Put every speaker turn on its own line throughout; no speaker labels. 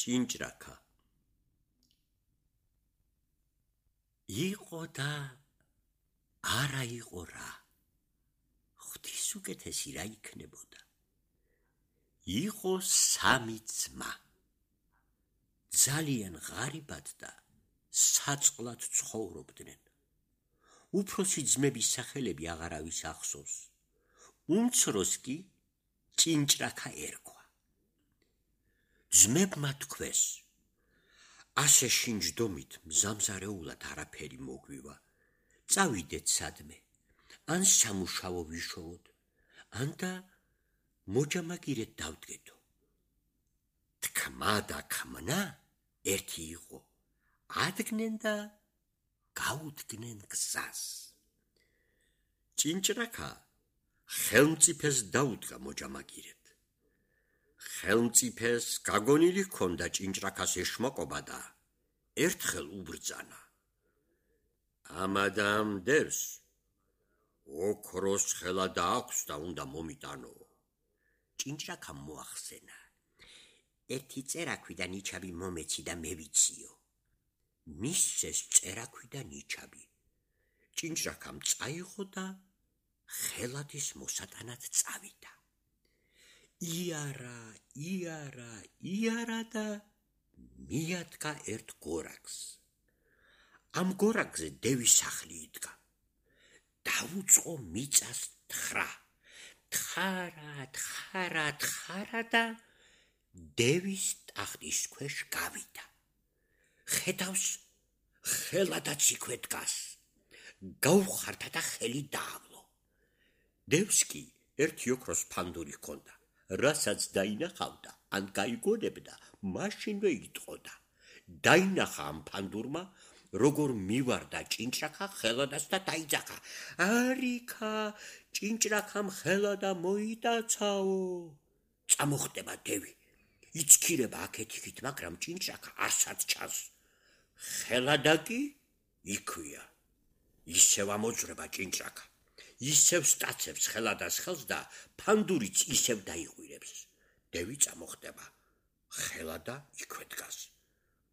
ჭინჭრაკა იყო და არა იყო რა. ღვთის უკეთესი რა იქნებოდა. იყო სამი ძმა. ძალიან ღარიბად და საწყლად ცხოვრობდნენ. უფროსი ძმების სახელები აღარავის ახსოვს. უმცროს კი ჭინჭრაკა ერქვა. ძმებმა თქვეს, ასე შინჯდომით მზამზარეულად არაფერი მოგვივა. წავიდეთ სადმე, ან სამუშაო ვიშოვოთ, ან და მოჯამაგირეთ დავდგეთო. თქმა და ქმნა ერთი იყო, ადგნენ და გაუდგნენ გზას. ჭინჭრაკა ხელმწიფეს დაუდგა მოჯამაგირეთ. ხელმწიფეს გაგონილი ჰქონდა ჭინჭრაკას ეშმაკობა და ერთხელ უბრძანა. ამადამ დევს ოქროს ხელა დააქვს და უნდა მომიტანო. ჭინჭრაკამ მოახსენა. ერთი წერაქვი და ნიჩაბი მომეცი და მევიციო. მისცეს წერაქვი და ნიჩაბი. ჭინჭრაკამ წაიღო და ხელადის მოსატანად წავიდა. იარა და მიადგა ერთ გორაკს. ამ გორაკზე დევის სახლი იდგა. დაუწყო მიწას თხრა. თხარა და დევის ტახტის ქვეშ გავიდა. ხედავს, ხელადაც იქვე დგას. გაუხარდა და ხელი დაავლო. დევს კი ერთი ოქროს ფანდური ჰქონდა, რასაც დაინახავდა, ან გაიგონებდა, მაშინვე იტყოდა. დაინახა ამ ფანდურმა, როგორ მივარდა ჭინჭრაკა ხელადას და დაიძახა. არიქა, ჭინჭრაკამ ხელადა მოიტაცაო. წამოხდება დევი. იცქირება აქეთ-იქით, მაგრამ ჭინჭრაკა არცად ჩანს. ხელადა კი იქვია. ისევ ამოძვრება ჭინჭრაკა. ისევ სტაცებს ხელადას ხელს და ფანდურიც ისევ დაიღვირებს. დევი წამოხდება. ხელადა იქვე დგას.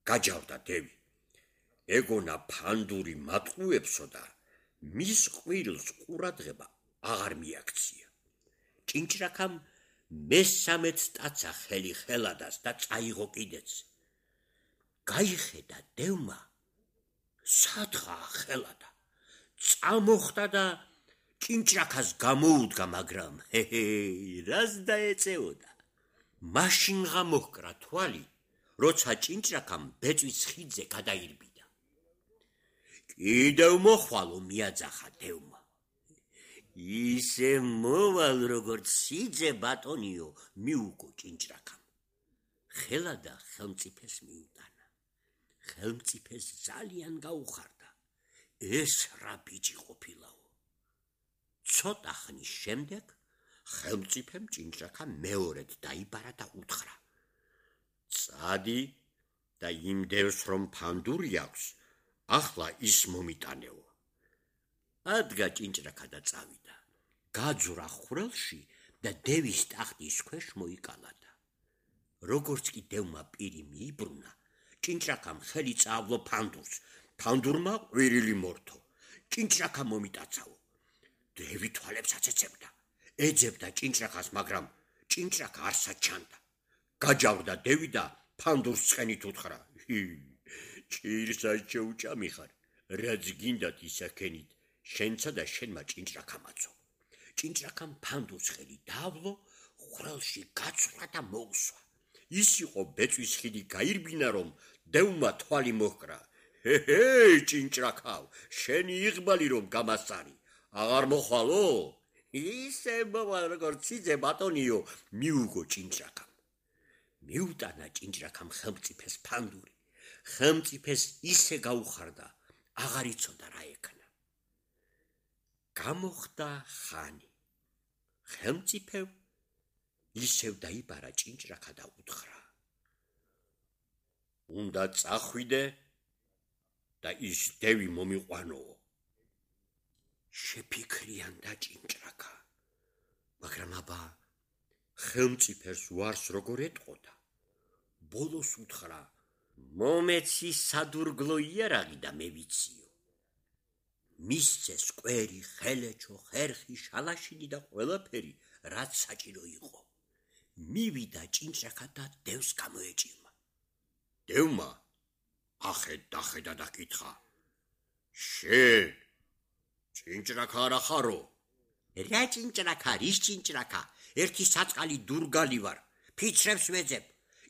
გაჯავდა დევი. ეგონა ფანდური მატყუებსო და მის ყვირილს ყურადღება აღარ მიაქცია. ჭინჭრაკამ მესამეც სტაცა ხელი ხელადას და წაიღო კიდეც. გაიხედა დევმა, სათხაა ხელადა. წამოხდა და ჭინჭრაკას გამოუდგა, მაგრამ რას დაეწეოდა. მაშინ გამოჰკრა თვალი, როცა ჭინჭრაკამ ბეწვის ხიდზე გადაირბიდა. კიდევ მოხვალო მიაძახა დევმა. ისე მოვალ როგორც სიძე ბატონიო, მიუგო ჭინჭრაკამ. ხელადა ხელმწიფეს მიუტანა. ხელმწიფეს ძალიან გაუხარდა. ეს რა ბიჭი ყოფილაო. ცოტა ხნის შემდეგ ხელმწიფემ ჭინჭრაკა მეორედ დაიბარა და უთხრა. წადი და იმ დევს რომ ფანდური აქვს, ახლა ის მომიტანეო. ადგა ჭინჭრაკა და წავიდა. გაძვრა ხვრელში და დევის ტახტის ქვეშ მოიკალადა. როგორც კი დევმა პირი მიიბრუნა, ჭინჭრაკამ ხელი წაავლო ფანდურს. ფანდურმა ყვირილი მორთო. ჭინჭრაკა მომიტაცაო. დევი თვალებს აცეცებდა. ეძებდა ჭინჭრაკას, მაგრამ ჭინჭრაკა არსად ჩანდა. გაჯავდა დევი და ფანდურს ცხენით უთხრა. ჭირსაც შეუჭამი ხარ, რაც გინდათ ისაქენით, შენცა და შენმა ჭინჭრაკამაცო. ჭინჭრაკამ ფანდურს ხელი დაავლო, ხვრელში გაცვრა და მოუსვა. ის იყო ბეწვის ხიდი გაირბინა, რომ დევმა თვალი მოჰკრა. ჭინჭრაკავ, შენი იღბალი რომ გამასარი, აღარ მოხვალო? ისე მოვალ როგორც სიძე ბატონიო, მიუგო ჭინჭრაკამ. მიუტანა ჭინჭრაკამ ხელმწიფეს ფანდური. ხელმწიფეს ისე გაუხარდა, აღარ იცოდა რა ეკნა. გამოხდა ხანი. ხელმწიფევ ისევ დაიბარა ჭინჭრაკა და უთხრა. უნდა წახვიდე და ის დევი მომიყვანო. შეფიქრიანდა ჭინჭრაკა, მაგრამ აბა ხელმწიფეს უარს როგორ ეტყოდა. ბოლოს უთხრა: მომეცი სადურგლო იარაღი და მე ვიციო. მისცეს კვერი, ხელეჩო, ხერხი, შალაშინი და ყველაფერი, რაც საჭირო იყო. მივიდა ჭინჭრაკა და დევს გამოეჭირმა. დევმა ახედა და კითხა: შენ ჭინჭრაკა არა ხარო? რა ჭინჭრაკა, რის ჭინჭრაკა? ერთი საწყალი დურგალი ვარ, ფიცრებს ვეძებ,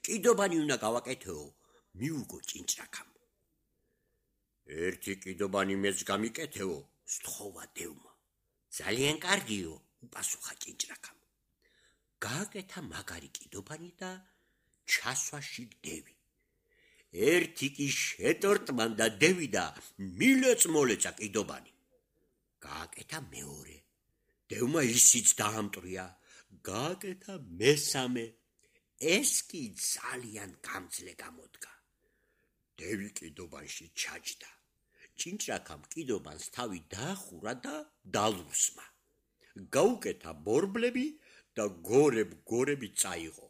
კიდობანი უნდა გავაკეთეო, მიუგო ჭინჭრაკამ. ერთი კიდობანი მეც გამიკეთეო, სთხოვა დევმა. ძალიან კარგიო, უპასუხა ჭინჭრაკამ. გააკეთა მაგარი კიდობანი და ჩასვა შიგ დევი. ერთი კი შეტორტმან და დევი და მილეწ-მოლეწა კიდობანი. გააკეთა მეორე. დევმა ისიც დაამტრია. გააკეთა მესამე. ეს კი ძალიან გამძლე გამოდგა. დევი კიდობანში ჩაჯდა. ჭინჭრაკამ კიდობანს თავი დაახურა და დალურსმა. გაუკეთა ბორბლები და გორები წაიღო.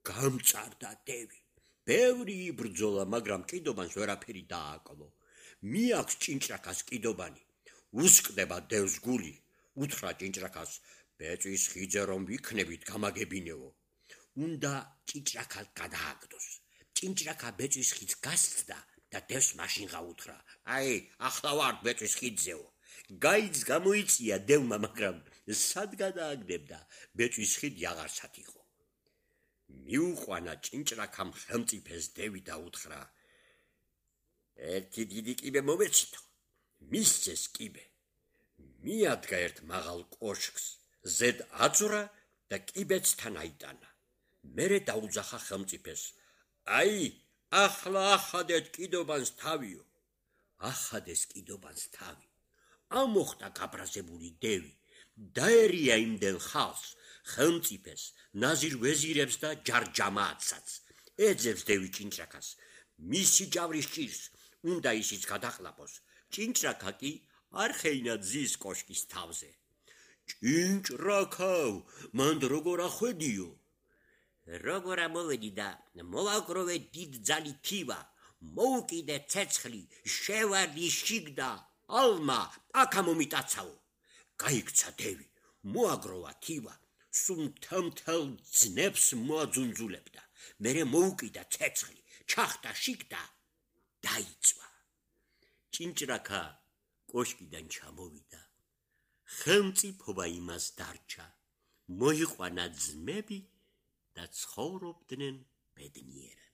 გამწარდა დევი. ბევრი იბრძოლა, მაგრამ კიდობანს ვერაფერი დააკლო. მიაქვს ჭინჭრაკას კიდობანი. უსკდება დევს გული. უთხრა ჭინჭრაკას: ბეწვის ხიძე რომ ვიქნებით, გამაგებინეო. უნდა ჭინჭრაკა გადააგდოს. ჭინჭრაკა ბეწვის ხიდს გასცდა და დევს მაშინ გაუთხრა: აი, ახლა ვარ ბეწვის ხიდზეო. გაიც გამოიწია დევმა, მაგრამ სად გადააგდებდა? ბეწვის ხიდი აღარსად იყო. მიუყვანა ჭინჭრაკამ ხელმწიფეს დევი და უთხრა: ერთი დიდი კიბე მომეცითო. მისცეს კიბე. მიადგა ერთ მაღალ კოშკს, ზედ აწვრა და კიბეც თან აიტანა. მერე დაუძახა ხელმწიფეს: აი, ახლა ახადეთ კიდობანს თავიო. ახადეს კიდობანს თავი. ამოხდა გაბრაზებული დევი. დაერია იმდენ ხალხს, ხელმწიფეს, ნაზირ ვეზირებს და ჯარჯამააცსაც. ეძებს დევი ჭინჭრაკას. მისი ჯავრის ჭირს, უნდა ისიც გადაყლაპოს. ჭინჭრაკა კი არ ხეინა ძის კოშკის თავზე. ჭინჭრაკავ, მანდ როგორ ახვედიო? როგორ ამოვედი და მოვაგროვე დიდ ძალი თივა, მოუკიდე ცეცხლი, შევარდი შიგ და ალმა აქა მომიტაცაო. გაიქცა დევი, მოაგროვა თივა, სულ მთელ ძნებს მოაძუნძულებდა. მერე მოუკიდა ცეცხლი, ჩახტა შიგ და დაიწვა. ჭინჭრაკა კოშკიდან ჩამოვიდა. ხელმწიფობა იმას დარჩა. მოიყვანა ძმები და ცხოვრობდნენ ბედნიერად.